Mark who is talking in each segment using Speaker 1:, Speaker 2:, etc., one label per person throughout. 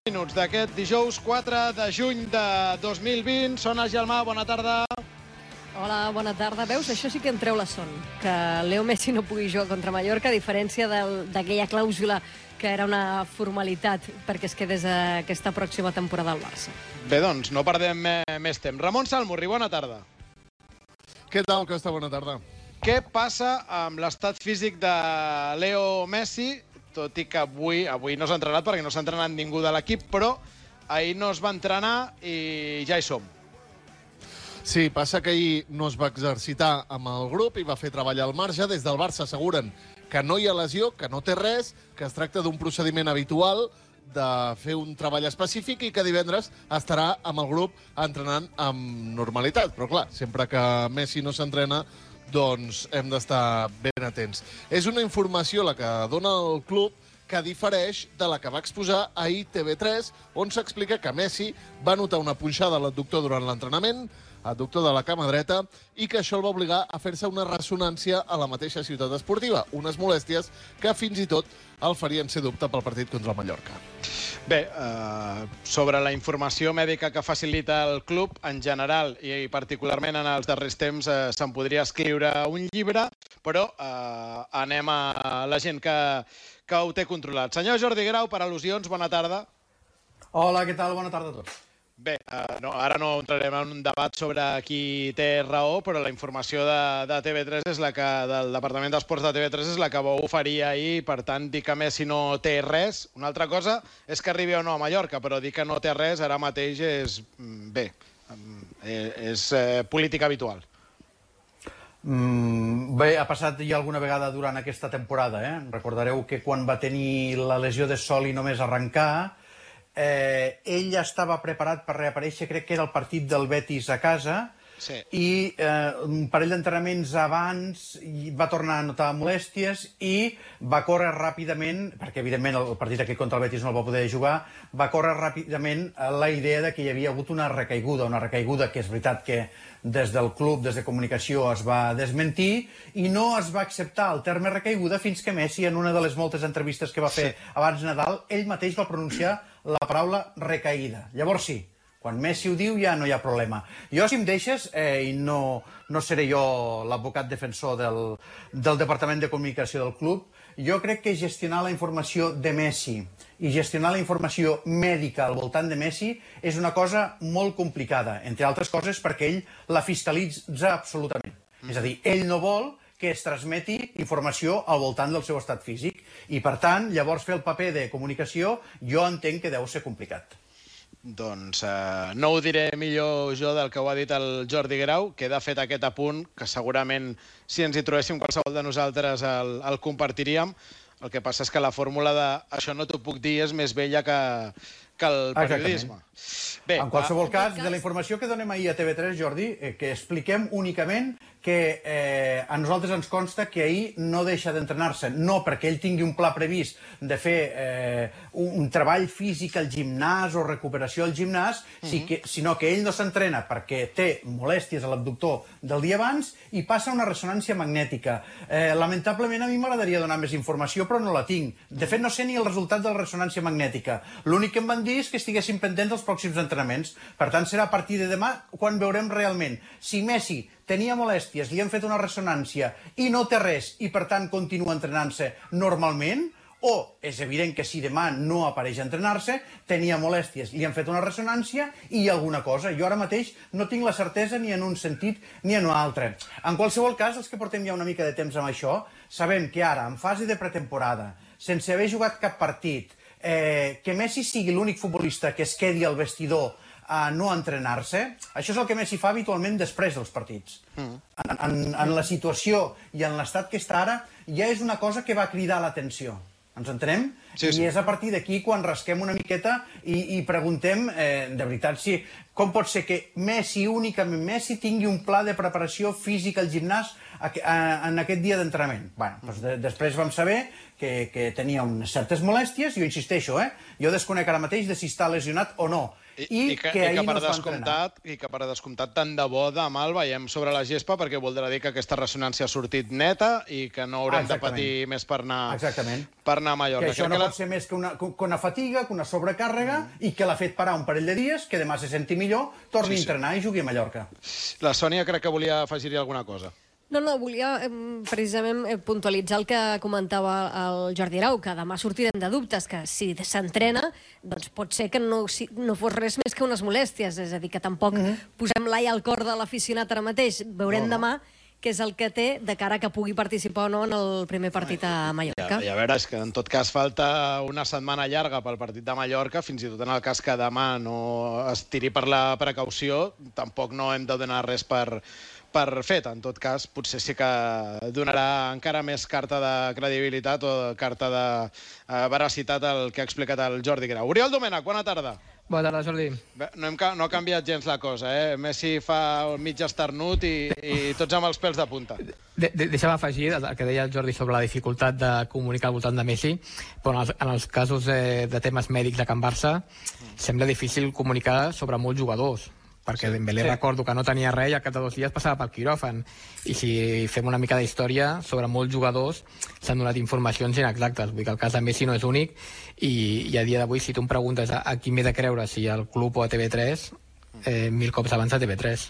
Speaker 1: Minuts d'aquest dijous 4 de juny de 2020. Sona Gelmà, bona tarda.
Speaker 2: Hola, bona tarda. Veus, això sí que em treu la son, que Leo Messi no pugui jugar contra Mallorca, a diferència d'aquella clàusula que era una formalitat perquè es quedés aquesta pròxima temporada al Barça.
Speaker 1: Bé, doncs, no perdem més temps. Ramon Salmurri, bona tarda.
Speaker 3: Què tal, Costa? Bona tarda.
Speaker 1: Què passa amb l'estat físic de Leo Messi? Tot i que avui no s'ha entrenat perquè no s'ha entrenat ningú de l'equip, però ahir no es va entrenar i ja hi som.
Speaker 3: Sí, passa que ahir no es va exercitar amb el grup i va fer treball al marge. Des del Barça asseguren que no hi ha lesió, que no té res, que es tracta d'un procediment habitual de fer un treball específic i que divendres estarà amb el grup entrenant amb normalitat. Però clar, sempre que Messi no s'entrena, doncs hem d'estar ben atents. És una informació la que dona el club que difereix de la que va exposar ahir TV3, on s'explica que Messi va notar una punxada a l'adductor durant l'entrenament, adductor de la cama dreta, i que això el va obligar a fer-se una ressonància a la mateixa ciutat esportiva, unes molèsties que fins i tot el farien ser dubte pel partit contra el Mallorca.
Speaker 1: Bé, sobre la informació mèdica que facilita el club, en general i particularment en els darrers temps, se'n podria escriure un llibre, però anem a la gent que ho té controlat. Senyor Jordi Grau, per al·lusions, bona tarda.
Speaker 4: Hola, què tal? Bona tarda a tots.
Speaker 1: Bé, ara no entrarem en un debat sobre qui té raó, però la informació de TV3 és la que, del Departament d'Esports de TV3 és la que va oferir ahir, per tant, dir que Messi no té res. Una altra cosa és que arribi o no a Mallorca, però dir que no té res ara mateix és, bé, és política habitual.
Speaker 4: Bé, ha passat ja alguna vegada durant aquesta temporada. Recordareu que quan va tenir la lesió de Soli només arrencar, ell ja estava preparat per reaparèixer, crec que era el partit del Betis a casa, sí. I un parell d'entrenaments abans va tornar a notar molèsties i va córrer ràpidament, perquè evidentment el partit aquest contra el Betis no el va poder jugar, va córrer ràpidament la idea de que hi havia hagut una recaiguda que és veritat que des del club, des de comunicació, es va desmentir i no es va acceptar el terme recaiguda fins que Messi, en una de les moltes entrevistes que va fer abans de Nadal, ell mateix va pronunciar la paraula recaïda. Llavors sí, quan Messi ho diu ja no hi ha problema. Jo, si em deixes, i no seré jo l'advocat defensor del Departament de Comunicació del club, jo crec que gestionar la informació de Messi i gestionar la informació mèdica al voltant de Messi és una cosa molt complicada, entre altres coses perquè ell la fiscalitza absolutament. És a dir, ell no vol que es transmeti informació al voltant del seu estat físic i, per tant, llavors fer el paper de comunicació jo entenc que deu ser complicat.
Speaker 1: Doncs no ho diré millor jo del que ho ha dit el Jordi Grau. Queda fet aquest apunt, que segurament si ens hi trobéssim qualsevol de nosaltres el compartiríem. El que passa és que la fórmula de això no t'ho puc dir és més vella que el periodisme.
Speaker 4: Bé, en qualsevol cas, de la informació que donem ahir a TV3, Jordi, que expliquem únicament que a nosaltres ens consta que ahir no deixa d'entrenar-se, no perquè ell tingui un pla previst de fer un treball físic al gimnàs o recuperació al gimnàs, sinó que ell no s'entrena perquè té molèsties a l'abductor del dia abans i passa una ressonància magnètica. Lamentablement a mi m'agradaria donar més informació, però no la tinc. De fet, no sé ni el resultat de la ressonància magnètica. L'únic que em van dir és que estiguessin pendents dels pròxims entrenaments. Per tant, serà a partir de demà quan veurem realment si Messi tenia molèsties, li han fet una ressonància i no té res i, per tant, continua entrenant-se normalment, o és evident que si demà no apareix a entrenar-se, tenia molèsties, li han fet una ressonància i alguna cosa. Jo ara mateix no tinc la certesa ni en un sentit ni en un altre. En qualsevol cas, els que portem ja una mica de temps amb això, sabem que ara, en fase de pretemporada, sense haver jugat cap partit, que Messi sigui l'únic futbolista que es quedi al vestidor a no entrenar-se, això és el que Messi fa habitualment després dels partits. En la situació i en l'estat que està ara, ja és una cosa que va cridar l'atenció. Ens entenem? Sí. I és a partir d'aquí quan rasquem una miqueta i preguntem, de veritat, com pot ser que Messi, únicament Messi, tingui un pla de preparació física al gimnàs en aquest dia d'entrenament? Després vam saber que tenia unes certes molèsties, i jo insisteixo, jo desconec ara mateix de si està lesionat o no. I que ahir no es va entrenar.
Speaker 1: I que per descomptat tant de bo demà el veiem sobre la gespa, perquè voldrà dir que aquesta ressonància ha sortit neta i que no haurem de patir més per anar a Mallorca.
Speaker 4: Que això no pot ser més que una fatiga, que una sobrecàrrega, i que l'ha fet parar un parell de dies, que demà se senti millor, torni a entrenar i jugui a Mallorca.
Speaker 1: La Sònia crec que volia afegir-hi alguna cosa.
Speaker 2: No, volia precisament puntualitzar el que comentava el Jordi Arau, que demà sortirem de dubtes, que si s'entrena, doncs pot ser que no fos res més que unes molèsties, és a dir, que tampoc posem l'ai al cor de l'aficionat ara mateix. Veurem demà què és el que té de cara que pugui participar o no en el primer partit a Mallorca.
Speaker 1: I a veure, és que en tot cas falta una setmana llarga pel partit de Mallorca, fins i tot en el cas que demà no es tiri per la precaució, tampoc no hem de donar res per fet. En tot cas, potser sí que donarà encara més carta de credibilitat o carta de veracitat el que ha explicat el Jordi Grau. Oriol Domènech, bona tarda.
Speaker 5: Bona tarda, Jordi.
Speaker 1: No ha canviat gens la cosa, Messi fa el mig esternut i tots amb els pèls de punta.
Speaker 5: Deixa'm afegir el que deia el Jordi sobre la dificultat de comunicar al voltant de Messi, però en els casos de temes mèdics a Can Barça sembla difícil comunicar sobre molts jugadors, perquè Dembélé recordo que no tenia res i al cap de 2 dies passava pel quiròfan, i si fem una mica d'història sobre molts jugadors s'han donat informacions inexactes. Vull dir que el cas de Messi no és únic, i a dia d'avui si tu em preguntes a qui m'he de creure, si al club o a TV3, 1000 cops abans a TV3.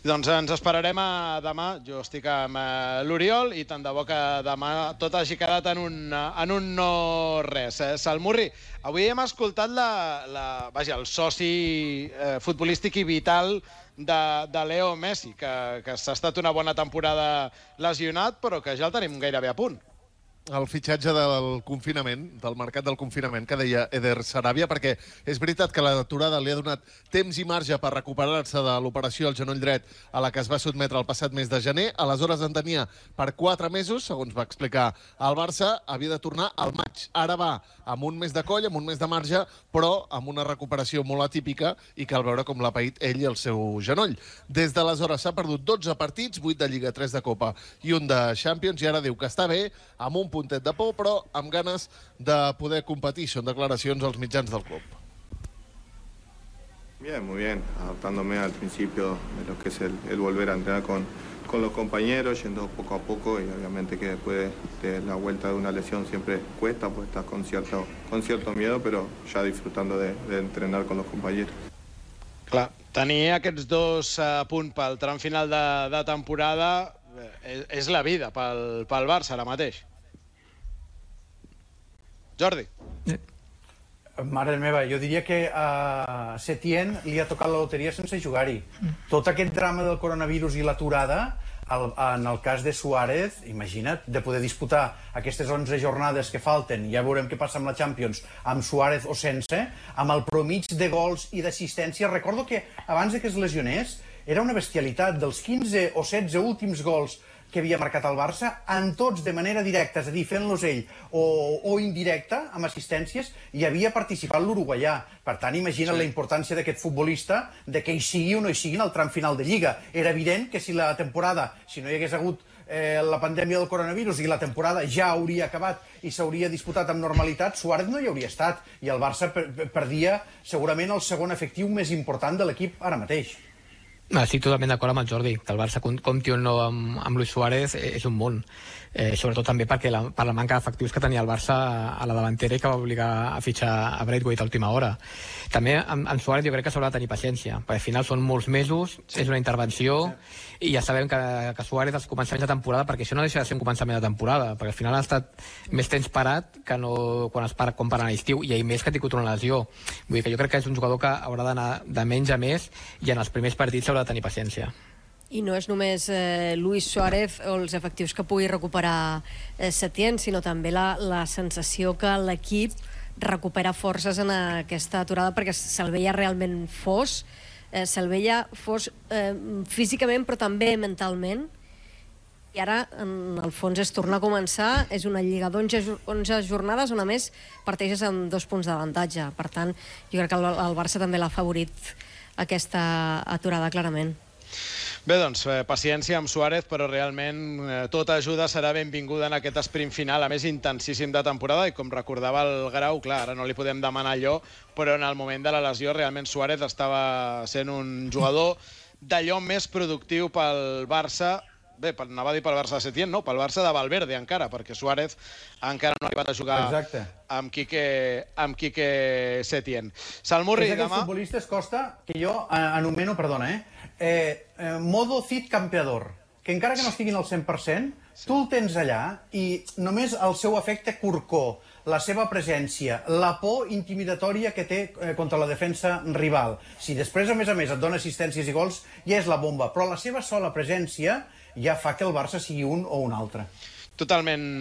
Speaker 1: Doncs ens esperarem a demà. Jo estic amb l'Oriol i tant de bo que demà tot hagi quedat en un no res. Salmurri, avui hem escoltat el soci futbolístic i vital de Leo Messi, que s'ha estat una bona temporada lesionat, però que ja el tenim gairebé a punt.
Speaker 3: El fitxatge del confinament, del mercat del confinament, que deia Eder Sarabia, perquè és veritat que l'aturada li ha donat temps i marge per recuperar-se de l'operació al genoll dret a la que es va sotmetre el passat mes de gener. Aleshores en tenia per 4 mesos, segons va explicar el Barça, havia de tornar al maig. Ara va amb un mes de coll, amb un mes de marge, però amb una recuperació molt atípica, i cal veure com l'ha paït ell i el seu genoll. Des d'aleshores s'ha perdut 12 partits, 8 de Lliga, 3 de Copa i 1 de Champions, i ara diu que està bé, amb un puntet de por, però amb ganes de poder competir. Són declaracions als mitjans del club.
Speaker 6: Bien, muy bien, adaptándome al principio de lo que es el volver a entrenar con los compañeros, yendo poco a poco, y obviamente que después de la vuelta de una lesión siempre cuesta, pues estás con cierto miedo, pero ya disfrutando de entrenar con los compañeros.
Speaker 1: Clar, tenir aquests 2 punts pel tram final de temporada és la vida pel Barça ara mateix. Jordi.
Speaker 4: Mare meva, jo diria que a Setién li ha tocat la loteria sense jugar-hi. Tot aquest drama del coronavirus i l'aturada, en el cas de Suárez, imagina't, de poder disputar aquestes 11 jornades que falten, ja veurem què passa amb la Champions, amb Suárez o sense, amb el promig de gols i d'assistència. Recordo que abans que es lesionés era una bestialitat. Dels 15 o 16 últims gols que havia marcat el Barça, en tots de manera directa, és a dir, fent-los ell o indirecta, amb assistències, hi havia participat l'uruguaià. Per tant, imagina't la importància d'aquest futbolista, de que hi sigui o no hi sigui en el tram final de Lliga. Era evident que si la temporada, si no hi hagués hagut la pandèmia del coronavirus i la temporada ja hauria acabat i s'hauria disputat amb normalitat, Suárez no hi hauria estat, i el Barça perdia segurament el segon efectiu més important de l'equip ara mateix.
Speaker 5: Estic totalment d'acord amb el Jordi, que el Barça compti o no amb Luis Suárez és un món, sobretot també per la manca d'efectius que tenia el Barça a la davantera i que va obligar a fitxar a Braithwaite a última hora. També amb Suárez jo crec que s'haurà de tenir paciència, perquè al final són molts mesos, és una intervenció, i ja sabem que Suárez als començaments de temporada, perquè això no deixa de ser un començament de temporada, perquè al final ha estat més temps parat que no quan es para a l'estiu, i ell més que ha tingut una lesió. Vull dir que jo crec que és un jugador que haurà d'anar de menys a més, i en els primers partits haurà de tenir paciència.
Speaker 2: I no és només Luis Suárez o els efectius que pugui recuperar Setién, sinó també la sensació que l'equip recupera forces en aquesta aturada, perquè se'l veia realment fos, físicament però també mentalment, i ara en el fons és tornar a començar. És una lliga d'11 jornades on a més parteixes amb 2 punts d'avantatge. Per tant, jo crec que el Barça també l'ha favorit aquesta aturada clarament.
Speaker 1: Bé, doncs, paciència amb Suárez, però realment tota ajuda serà benvinguda en aquest sprint final, a més intensíssim de temporada, i com recordava el Grau, clar, ara no li podem demanar allò, però en el moment de la lesió realment Suárez estava sent un jugador d'allò més productiu pel Barça. Bé, anava a dir pel Barça de Setién, no, pel Barça de Valverde encara, perquè Suárez encara no ha arribat a jugar amb Quique Setién. Salmurri,
Speaker 4: és d'aquests futbolistes, Costa, que jo anomeno, perdona, modo Cid campeador, que encara que no estiguin al 100%, tu el tens allà i només el seu efecte corcó, la seva presència, la por intimidatòria que té contra la defensa rival. Si després, a més, et dona assistències i gols, ja és la bomba, però la seva sola presència ja fa que el Barça sigui un o un altre.
Speaker 1: Totalment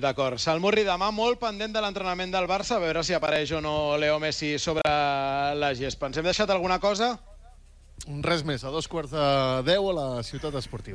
Speaker 1: d'acord. Salmurri, demà molt pendent de l'entrenament del Barça, a veure si apareix o no Leo Messi sobre la gespa. Ens hem deixat alguna cosa?
Speaker 3: Res més, a 2:15 a la Ciutat Esportiva.